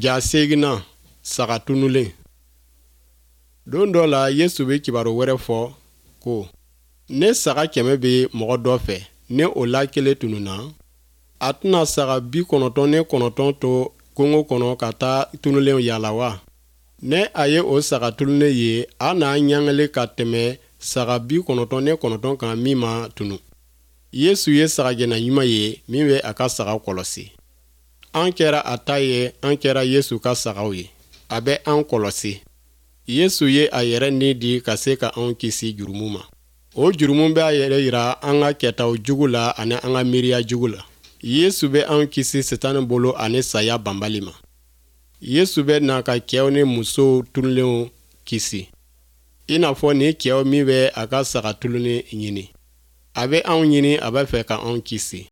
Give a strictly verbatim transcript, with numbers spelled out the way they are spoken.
Ja seginna saga tunulen. Don dɔ la, Yesu bɛ kibaru wɛrɛ fɔ ko: ne saga kɛmɛ bɛ mɔgɔ dɔ fɛ, ni o la kelen tununna, a tɛna saga bi kɔnɔntɔn ni kɔnɔntɔn to kungo kɔnɔ ka taa tunulenw yaala wa? Ne a ye o saga tunulen ye, a n'a ɲangali ka tɛmɛ saga bi kɔnɔntɔn ni kɔnɔntɔn kan min ma tunu. Yesu ye sagagɛnna ɲuman ye min bɛ a ka saga kɔlɔsi. An kɛra a ta ye, an kɛra Yesu ka sagaw ye. A bɛ an kɔlɔsi. Yesu ye a yɛrɛ ni di ka se ka anw kisi jurumu ma. O jurumu bɛ a yɛrɛ yira an ka kɛtaw jugu la ani an ka miiriya jugu la. Yesu bɛ anw kisi Sitani bolo ani saya banbali ma. Yesu bɛ na ka cɛw ni musow tunulenw kisi, i n'a fɔ ni cɛw min bɛ a ka saga tunulen ɲini. A bɛ anw ɲini, a b'a fɛ ka anw kisi.